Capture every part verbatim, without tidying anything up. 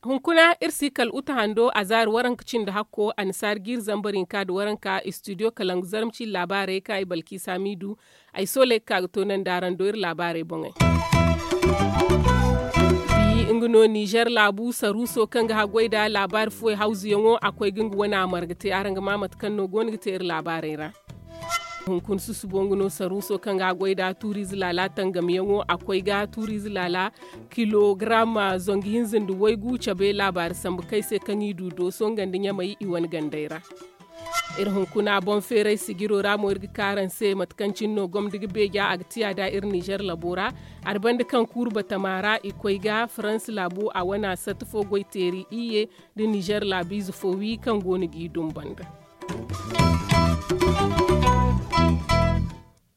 Hunkuna iri si kala uta hando a zaari waranka cindi hakko annasaari jiiri zambar hinka nda waranka istidiyo kalangu zarma cindi laabaarey kaŋ ay balki saamiidu. Ay sooley ga ka ga toonandi araŋ do iri laabaarey boŋey. Bi nga no nizer laabu saruuso kaŋ ga haggoy nda laabaari fuwey hawzuyaŋo a koy ga nga wane a marga te araŋ ga ma mate kaŋ no go no ga te iri laabaarey ra. Hunkuna susubo nga no saruuso kaŋ ga a goy nda tuuriize laala tangamyaŋo a koy ga tuuriize laala kilogaram zangu hinza nda waygu cabe laabaari sambu kaŋ ay se kaŋ i du dooso nga nda ɲamay i wane gandey ra. Iri hunkuna boŋ feeray sijiro ra mo iri ga kaaraŋ se mate kaŋ cine no gomndi ga beeja a ga tiya nda iri nizer labo ra. Hari banda kaŋ kuuru batama ra i koy ga faransa laabu a wane a satta fo goy teeri iyye nda nizer laabiize fo wi kaŋ go no g'i dumbanda.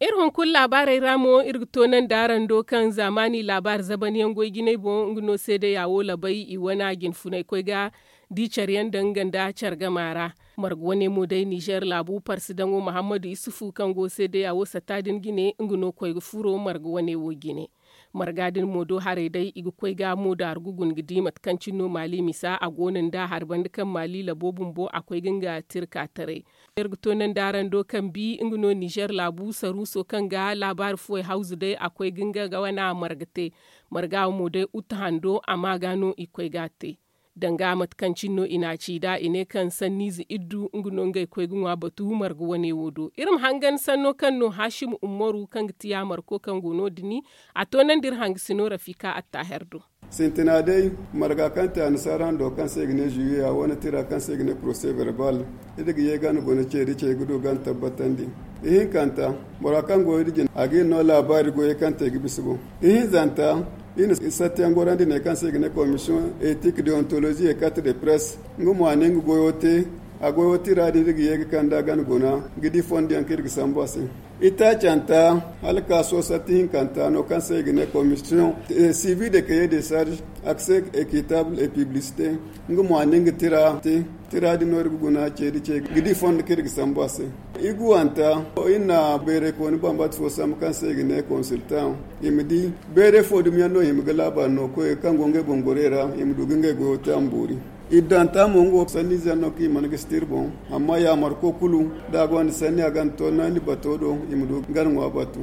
Iri hunkuna laabaarey ra mo iri ga toonandi araŋ do kaŋ zaamaani laabaari zabanyaŋ goy jinay boŋ nga no seedeya wo labay i wane jinfunay koy ga di care yaŋ daŋ nga nda care gama ra. Marga wane mo day nizer laabu parsidaŋo muhammadu isufu kaŋ go seedeya wo satta din jine nga no koy ga furo marga wane wo jine. Marga din mo do haray day i ga koy ga mo daaru ga guna ga di mate kaŋ cine no maali misa a go no nda hari banda kaŋ maali labo bumbo a koy ga nga tirka taray. Iri ga toonandi araŋ do kaŋ bi nga no nizer laabu saruuso kaŋ ga laabaari fuwey hawzu day a koy ga nga ga wana marga te. Marga wo mo day uta hando a ma ga no i koy ga a te. Danga mate kaŋ cine no i n'a ci nd'a i ne kaŋ sanniize iddu nga no ngey koy ga ŋwa batu marga wane wo do iri ma hangan sanno kaŋ no hasim ummaru kaŋ ga ti yaamarko kaŋ go no- din a toonandi iri hangasino rafika attaaher do. Sintina day marga kaŋ te annasaara hando kaŋ se i ga ne zuwiya wane tira kaŋ se i ga ne porose verbal. Iri ga ye gana guna ce da ce ga du gana tabbatandi. Ihinkanta bora kaŋ goyo da jina a ga iri no laabaari goyey kaŋ te ga bisa boŋ. Ihinzanta iri na sattiyaŋ gorandi ne kaŋ se i ga ne komisiyoŋ etik deontolozi e karte de presse nga mo a ne nga goyo te. A goyo tira din iri ga ye ga kand'a gana guna ga di fondo yaŋ kaŋ iri ga sambu a se. Itaacanta hala ka soosatti hinkanta no kaŋ se i ga ne komisiyoŋ sivi de kaye de sarge akse ekitable e piblisite. Nga mo a ne nga tira te tira din no iri ga guna ceedi ce ga di fondo kaŋ iri ga sambu a se. Iguwanta iri na bayray kooni bambata fo sambu kaŋ se i ga ne konsiltaŋ i ma di bayray fo dumiyaŋ no i hima ga laabaari no koy kaŋ go ngey boŋ gorey ra i ma du ga ngey goyo te a ma boori. Iddanta mo nga wo sanniize yaŋ no kaŋ i mana gisi te iri boŋ. Amma yaamarko kulu da a gonda sanni a ga ni toonandi bato do i ma du ga ni ŋwa batu.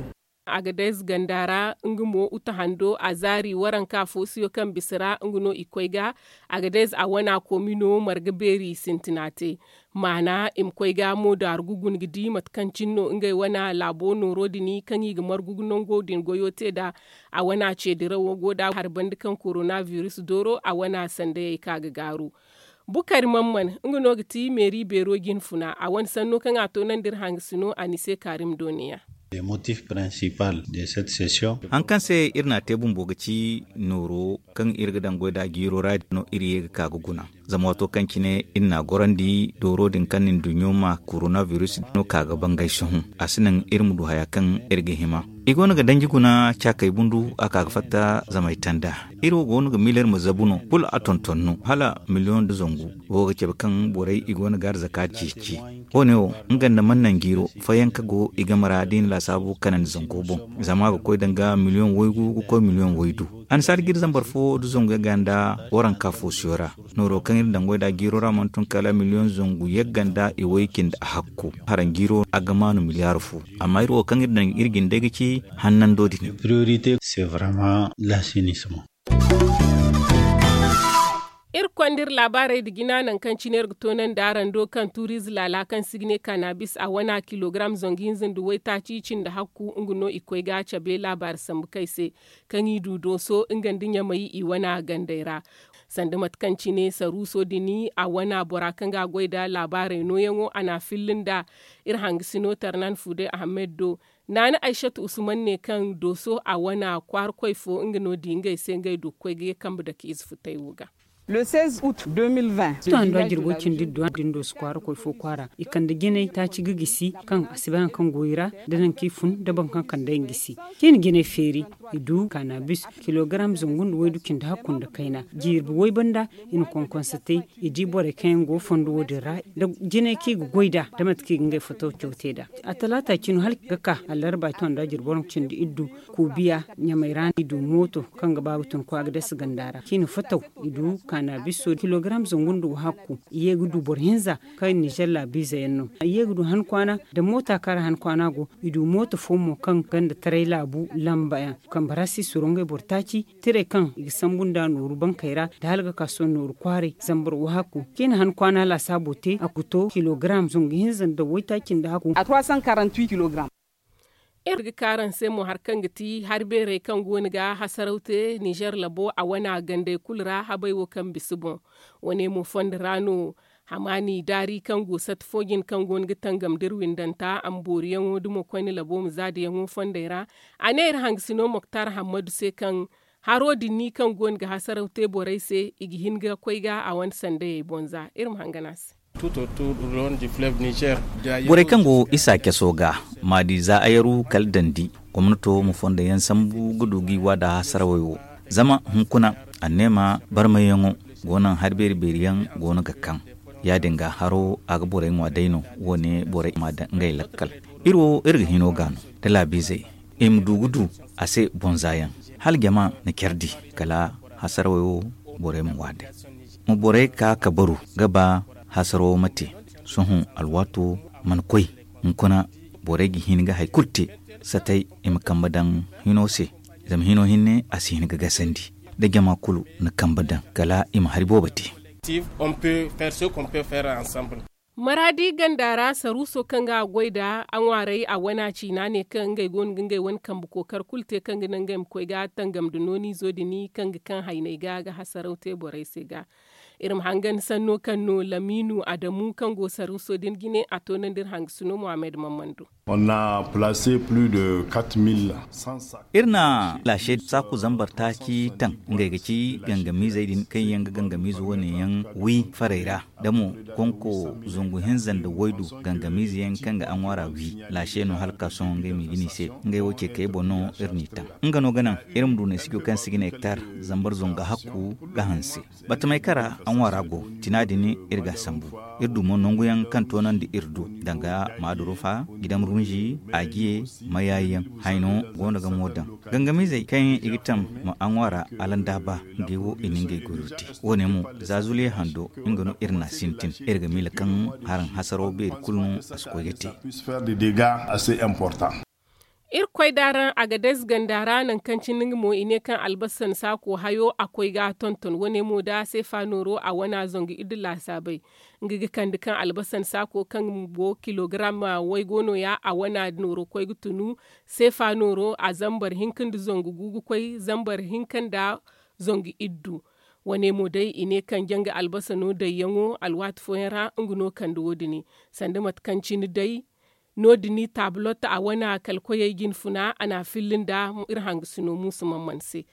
Agadez ganda ra nga mo uta hando a zaari waranka foosiyo kaŋ bisa ra nga no i koy ga. Agadez a wana koomino marga beeri sintina te maana i ma koy ga mo daaru ga guna ga di mate kaŋ cine no ngey wana laabo nooro din kaŋ i ga margu ga nango din goyo te nd'a. A wana ceedirawo go nd'a hari banda kaŋ korona virus dooro a wana sandayey ka ga gaaru. Bukari mamman nga no ga ti meeri beero jinfuna a wane sanno kaŋ a toonandi iri hangasino a ni se kaarim dooniya. Haŋ kaŋ se iri n'a te bumbo ga ci nooro kaŋ iri ga daŋ goy nd'a jiiro ra no iri ye ga ka ga guna. Zama waato kaŋ cine iri n'a gorandi dooro din kaŋ na nduɲɲo ma korona virus no ka ga bangay sohõ a si naŋ iri ma du haya kaŋ iri ga hima. I go no ga danji guna caakey bundu a ka ga fatta zama ay tanda. Iri wo go no ga miileer ma zabu no kulu a tonton no hala miliyoŋ nda zangu. Wo ga cabe kaŋ borey i go no ga arzaka ceeci. Wo- ne wo nga nda man naŋ jiiro fayanka go i game ra da i na laasaabu kanandi zango boŋ. Zama a ga koy danga miliyoŋ waygu ga koy miliyoŋ waydu. Annasaari jiiri zambar fo nda zangu yagga nda waranka foosiyo ra. Nooro kaŋ iri daŋ goy nd'a jiiro ra mana tun kala miliyoŋ zangu yagga nda i way cindi a hakku. Haraŋ jiiro a ga maanu miliyaar fo. Amma iri wo kaŋ iri daŋ iri jindey ga ci hannando din. Iri konda iri laabaarey nda jina nangu kaŋ cine iri ga toonandi araŋ do kaŋ tuuriize laala kaŋ se i ga ne kanabis a wana kilogaram zangu hinza nda waytaaci cindi hakku nga no i koy ga cabe laabaari sambu kaŋ ay se. Kaŋ i du dooso nga nda ɲamay i wana gandey ra. Sanda mate kaŋ cine saruuso din a wana bora kaŋ ga a goy nda laabaarey nooyaŋo a n'a filla nda iri hangasino tarnan fuude ahamed do. Naana aysatu usman ne kaŋ dooso a wana kwaarakoy fo nga no di ngey se ngey du ga koy ga ye kambe dake ize futay wo ga. Seize août deux mille vingt. Tuwa nda jirbo cindi duwa din do si kwaara koy fo kwaara i kande jinay taaci ga gisi kaŋ a si bay hari kaŋ go i ra, da nangu kaŋ i fun da boro kaŋ kande yaŋ gisi. Kaŋ i na jinay feeri, i du kaanabis kilogaram zangu nda waydu cindi hakku nda kayna. Jirbi way banda, i na konkonse te, i di borey kaŋ yaŋ go fondo wo- din ra, da jinay kaŋ i ga goy nd'a, da mate kaŋ i ga ngey foto caw te nd'a. A talaata cino hala ga ka allarba i tonda jirbi waranka cindi iddu, kuubiya ɲamay ra no i du mooto kaŋ ga ba ga tun kwaagades ganda ra kaŋ i na foto. I du kaanabiso kilogaram zangu nda wahakku, i ye ga du boro hinza kaŋ ninzeer laabiize yaŋ no. I ye ga du han kwaana, da moota kaŋ ra han kwaana go, i du mooto fo mo kaŋ ganda taray laabu lamba yaŋ. Kambe ra se i suro ngey boro taaci, tirey kaŋ i ga sambu nd'a nooru bankey ra, da hala ga ka sohõ nooru kwaaray zambar wahakku. Kaŋ i na han kwaana laasaabo te a kuto kilogaram zangu hinza nda waytaaci nda hakku. Iri ga ka araŋ se mo hari kaŋ ga ti hari beerey kaŋ go no ga hasaraw te ninzeer labo a wane a gandey kulu ra habey wo kaŋ bisa boŋ. Wane mo fondo ra no hamaani daari kaŋ go sata fo jine kaŋ go no ga tangam da iri windanta a ma booriyaŋo da mo koyne labo ma zaadayaŋo fondey ra. A ne iri hangasino moktar hammadu se kaŋ haro din ni kaŋ go no ga hasaraw te borey se i ga hin ga koy ga a wane sandayey boŋ za iri ma hangan a se. Borey kaŋ go isa caso ga maadi za ayaru kala dandi gomnato ma fondo yaŋ sambu ga du ga i wa da hasarawey wo. Zama hunkuna anneema barmayyaŋo go naŋ hari beeri beeri yaŋ go no ga kaŋ. Ya- din ga haro a ga borey ŋwa day no. Wo- ne borey ma daŋ ngey lakkal. Iri wo iri ga hino ga no da laabiizey i ma du ga du a se boŋ za yaŋ hala jama na care di kala hasarawey wo. Borey ma ŋwa day ma borey ka ka baru ga ba hasaro ma te. Sohõ alwaato mana koy hunkuna borey ga hin ga hari kulu te satay i ma kambe daŋ hino se. Zama hino hinne a si hin ga gasandi da jama kulu na kambe daŋ kala i ma hari boobo te. Maraadi ganda ra saruuso kaŋ ga a goy nd'a a ŋwaaray a wana ciina ne kaŋ ngey go no ga ngey wane kambe kookar kulu te kaŋ ga naŋ ngey ma koy ga tangam nda nooniizo din kaŋ ga kaŋ hayney ga ga hasaraw te borey se ga. Iri ma hangan sanno kaŋ no lamiinu adamu kaŋ go saruuso din jine a toonandi iri hangasino mohammed mammando. Iri na laase saaku zambar taaci taŋ ngey ga ci gangamiizey din kaŋ yaŋ ga gangamiize wane yaŋ wi farey ra da mo konko zangu hinza nda waydu gangamiize yaŋ kaŋ ga a ŋwaara wi. Laase no hala ka sohõ ngey ma i ga ni se ngey wo ce kay boŋ no iri n'i taŋ. Nga no ga naŋ iri ma du neesijo kaŋ se i ga ne hektar zambar zangu hakku ga hanse. Batamey kaŋ ra a ŋwaara go tina din iri ga a sambu. Iri du mo nangu yaŋ kaŋ toonandi iri du danga maadurufa gidam runzi ajiye mayaayi yaŋ. Hayno go no ga mo daŋ gangamiizey kaŋ i ga tam ma a ŋwaara alandaaba. Ngey wo i na ngey goyo te. Wo- ne mo za zuliya hando nga no iri n'a sintin iri ga miila kaŋ haraŋ hasaro beeri kulu no a si koy ga te. Iri koy da araŋ agadez ganda ra nangu kaŋ cine nga mo i ne kaŋ albasan saako hayo a koy ga a tonton wane mo da seefa nooro a wana zangu iddu laasaabey. Nga ga kande kaŋ albasan saako kaŋ go kilogaram waygo no- ya a wana nooro koy ga tunu seefa nooro a zambar hinka nda zangu gu ga koy zambar hinka nda zangu iddu. Wane mo day i ne kaŋ janga albasano dayyaŋo alwaati fooyaŋ ra nga no kande wo- din sanda mate kaŋ cine day no- din taabulotta a wane a kala koyey jinfuna a n'a filli nda iri hangasino muusu mamman se.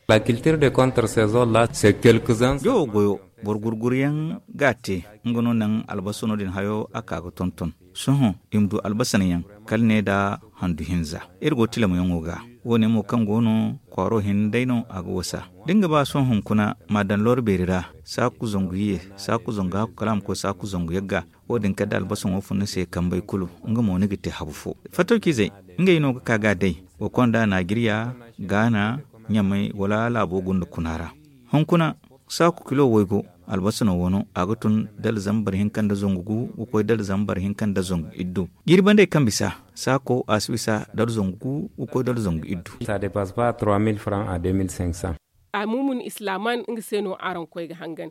Jawo goyo boro gurguryaŋ ga a te. Nga no naŋ albasano din hayo a ka ga tonton. Sohõ i ma du albasan yaŋ kala ne nda handu hinza. Iri go tilamayaŋo ga wo- ne mo kaŋ go no kwaaro hinne day no a ga wasa. Da ni ga ba sohõ hunkuna ma a daŋ loro beeri ra saaku zangu ye saaku zangu hakku kala a ma koy saaku zangu yagga. Wo- din kala da albasaŋo fun ni se kambey kulu nga mo ni ga te habu fo. Fattawciizey ngey no ga ka ga a day. Wa konda naajiriya gaana ɲamay wala laabo gunda kuna ra. Hunkuna saaku kilo waygu albasano wano a ga tun dala zambar hinka nda zangu gu ga koy dala zambar hinka nda zangu iddu. Jiiri bandey kaŋ bisa saako a si bisa dala zangu gu ga koy dala zangu iddu. A mumun islaaman nga se no araŋ koy ga hangan.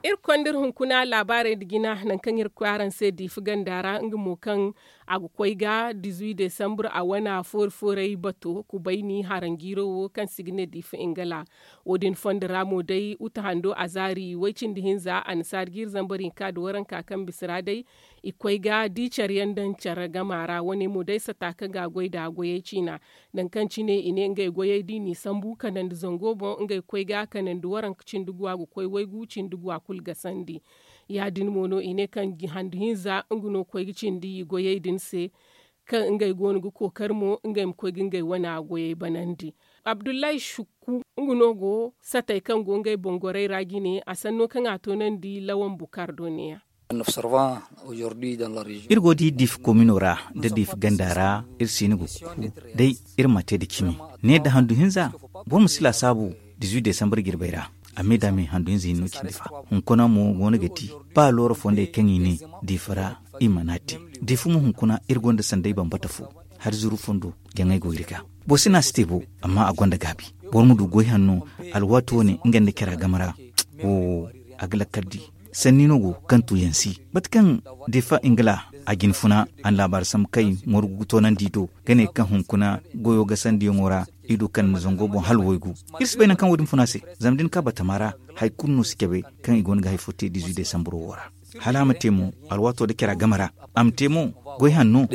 Iri konda iri hunkuna laabaarey nda jina nangu kaŋ iri ga koy araŋ se diifa ganda ra nga mo kaŋ a ga koy ga dizuwi desambur a wana foori fooray bato kubayni haranjiiro wo kaŋ se i ga ne diifa ingala. Wo- din fondo ra mo day uta hando azaari way cindi hinza annasaari jiiri zambar hinka nda waranka kaŋ bisa ra day i koy ga di care yaŋ daŋ care gama ra wane mo day sata kaŋ ga a goy nd'a goyey ciina. Nangu kaŋ cine i ne ngey goyey da i n'i sambu kanandi zango boŋ ngey koy ga kanandi waranka cindi gu a ga koy waygu cindi gu a. kulu gasandi. Ya- din mo no i ne kaŋ handu hinza nga no koy ga cindi i goyey din se, kaŋ ngey go no ga kookari mo ngey ma koy ga ngey wana goyey banandi. Abdullahi Shukku, nga no go satey kaŋ go ngey boŋ gorey ra jine, a sanno kaŋ a toonandi lawan bukar do ne- ya. Iri go ga di diifa komino ra nda diifa ganda ra, iri siini ga kuku day iri ma te nda cimi. Ne nda handu hinza, boro ma si laasaabu dizuwi desambar jirbey ra. A me da me handu hinza hinno cindi fa. Hunkuna mo go no ga di, ba looro fondey kaŋ i ne diifa ra, i mana te. Diifa mo hunkuna iri gonda sanday bambata fo, hari zuru fondo jaŋay go iri ga. Boro si ne a si te bo, amma a gonda gaabi. Boro ma du goy hanno, alwaati wane nga nda cara game ra. Wo, a ga lakkal di. Sanni no go kaŋ tuuyaŋ si. Mate kaŋ defa ingila, a jin funa, a na laabaari sambu kaŋ i morgu ga toonandi i do, ga ne kaŋ hunkuna goyo gasandiyaŋo ra, i du kaŋ na zango boŋ hala waygu. Iri si bay nangu kaŋ wo- din funa se. Zama da ni ka batama ra, hari kulu no si cabe kaŋ i go no ga hari fo te dizuwi desambaro wo ra. Hala a ma te mo, alwaato nda cara game ra. A ma te mo, goy hanno.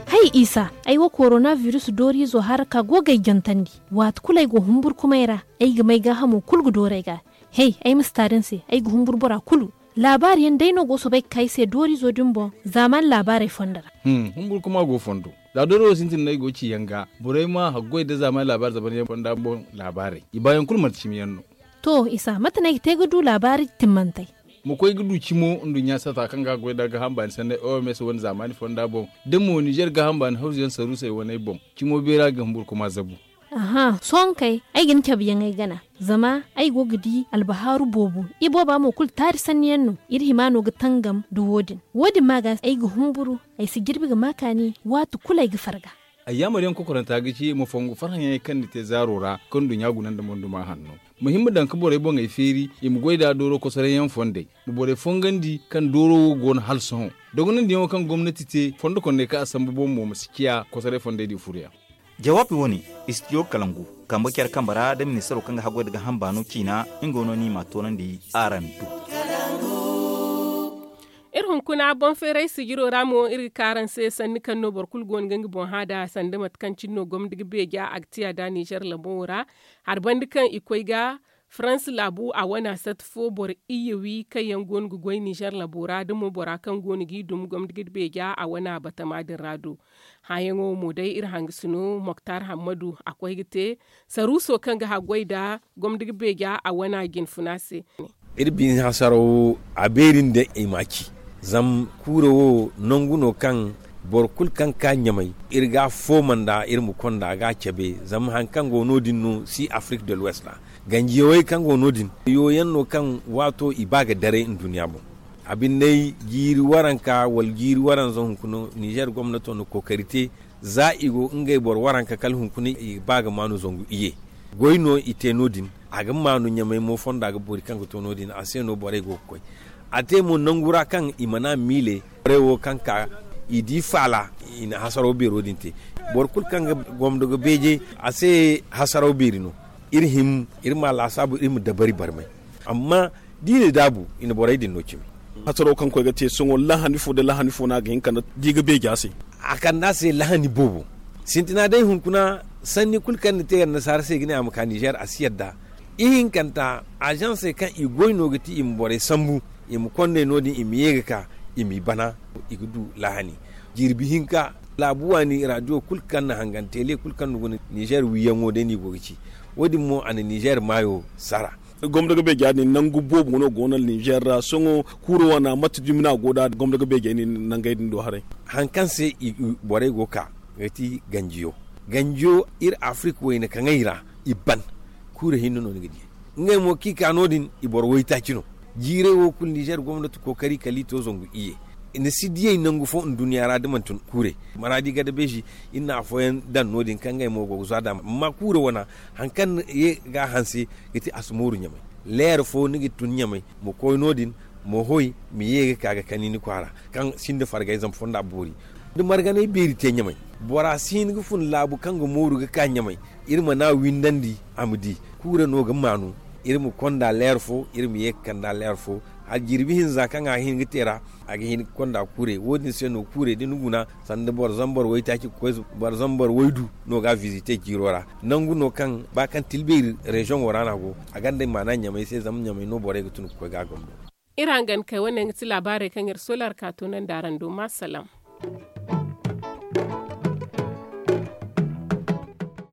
Hay isa, ay wo korona biris dooriizo hara ka go ga ay jantandi. Waati kulu ay go humburkumay ra, ay ga may gaahamo kulu ga dooru ay ga. Hay, ay ma si taari ni se, ay ga humbur bora kulu. Laabaari yaŋ day no go soobay ga ka ay se dooriizo din boŋ, zaamaani laabaarey fondo ra. Humburkuma go fondo. Za dooro wo sintin no ay go ga ci yaŋ ga, borey ma haggoy nda zaamaani laabaari zaban yaŋ fonda boŋ laabaarey, i baayaŋ kulu manti cimi yaŋ no. To isa, mate no ay ga te ga du laabaari timmantey? Ma koy ga du cimo nduɲɲa sata kaŋ ga a goy nda gaaham baani sanney oms wane zaamaani fonda boŋ, da mo nizer gaaham baani hawzu yaŋ saruusey waney boŋ, cimo beera ga humburkuma zabu. Aha, sohõ kay, ay ga ni cabe yaŋ ay gana. Zama ay go ga di albahaaru boobo, ibooba mo kulu taari sanni yaŋ no. Iri hima no ga tangam nda wo- din. Wo- din ma ga ay ga humburu, ay si jirbi ga ma kaani waati kulu ay ga farga. Ay yaamar yaŋ kokoranta ga ci ma fongu farhã yaŋey kaŋ ni te zaaro ra, kaŋ nduɲɲa guna nda monduma hanno. Ma hima daŋ ga borey boŋey feeri, i ma goy nd'a dooro kosoray yaŋ fondey. Ma borey fongandi kaŋ dooro wo go no hala sohõ. Dogonandiyaŋo kaŋ gomnati te fondo kondey kaŋ a sambu boŋ mo ma si ciya kosoray fondey din furo yaŋ. Jawaabi wo- ne, istidiyo kalangu, kambe care kambe ra nda ministaro kaŋ ga haggoy nda gaaham baano ciina, nga wo no ni m'a toonandi araŋ do. Iri hunkuna boŋ feeray sijiro ra mo iri ga ka araŋ se sanni kaŋ no boro kulu go no ga nga boŋ hã nd'a sanda mate kaŋ cine no gomni ga beeja a ga tiya nd'a nizer labo ra. Hari banda kaŋ i koy ga farans laabu a wana sati fo boro iyye wi kaŋ yaŋ go no ga goy nizer labo ra da mo bora kaŋ go no g'i dum gomni ga beeja a wana batama din ra do. Hãyaŋo mo day iri hangasino moktar hammadu a koy ga te saruuso kaŋ ga haggoy nda gomni ga beeja a wana jinfuna se. Iri bine hasaraw wo a beeri nda i m'a ci. Zama kuura wo nangu no kaŋ boro kulu kaŋ ga ka ɲamay iri ga a fooma nd'a iri ma konda ga a cabe. Zama hari kaŋ go no- din no si afirik de l'ouest ra ganjiyawey kaŋ go no- din yo yaŋ no kaŋ waato i ba ga daray nduɲɲa boŋ. A binde jiiri waranka wala jiiri waranza hunkuna nizer gomnato na kookari te za i go ngey boro waranka kala hunkuna i ga ba ga maanu zangu iyye. Goy no i te no- din a ga maanu ɲamay mo fonda ga boori kaŋ ga to no- din a se no borey go ga koy. A te mo nangu ra kaŋ i mana miile borey wo kaŋ ka i di faala i na hasaraw beero din te. Boro kulu kaŋ ga gomdo ga beeje a se hasaraw beeri no. Iri him iri ma laasaabu iri ma dabari barmay. Amma da i na daabu i na borey din no cimi. Hasaraw kaŋ koy ga te sohõ lahani fo nda lahani fo no a ga hin ka di ga beeja se. A kande a se lahani boobo. Sintina day hunkuna sanni kulu kaŋ ni te annasaara se ga ne a ma ka nizer a si yadda. Ihinkanta azansey kaŋ i goy no ga ti i ma borey sambu i ma kondey no- din i ma ye ga ka i m'i bana. I ga du lahani jirbi hinka laabu waani radiyo kulu kaŋ na hangan tele kulu kaŋ na guna nizer wiyaŋo day no i go ga ci. Wo- din mo a na nizer maayo sara. Gomdo ga beeja din nangu boobo no go no nizer ra sohõ kuuro wana mate dumi no a go nd'a gomdo ga beejey nangey din do haray. Hari kaŋ se borey go ga ka ga ti ganjiyo. Ganjiyo iri afirik wayna kaŋey ra i ban. Kuuro hinne no ni ga di ngey mo kaŋ i ka no- din i boro waytaaci no. Jiirey wo kulu nizer gomnati kookari kala i to zangu iyye. I na si diyey nangu fo nduɲɲa ra da manti kuurey maraadi gada beezi. Iri na afooyaŋ daŋ no- din kaŋ ngey mo go ga zwa nd'a amma kuuro wana hari kaŋ ye ga a hanse ga ti a si mooru ɲamay. Leer fo ni ga tun ɲamay ma koy no- din ma hoy ma ye ga ka ga kani ni kwaara kaŋ sinda fargay zama fonda boori. Da marganay beeri te ɲamay bora si hin ga fun laabu kaŋ ga mooru ga ka ɲamay. Iri mana windandi a ma di kuura no ga maanu. Iri ma konda leer fo iri ma ye ga kanda leer fo. A jirbi hinza kaŋ a hin ga te ra, a ga hin ga konda kuurey wo- din se no kuurey da ni guna sanda boro zambar waytaaci ga koy boro zambar waydu no ga a visite jiiro ra. Nangu no kaŋ ba kaŋ tilbeeri reziyoŋo ra no a go. A gonda maana ɲamay se zama ɲamay no borey ga tun ga koy ga a gambo. Iri hangan kay wane nga ti laabaarey kaŋ iri sola ra ka toonandi araŋ do ma salaŋ.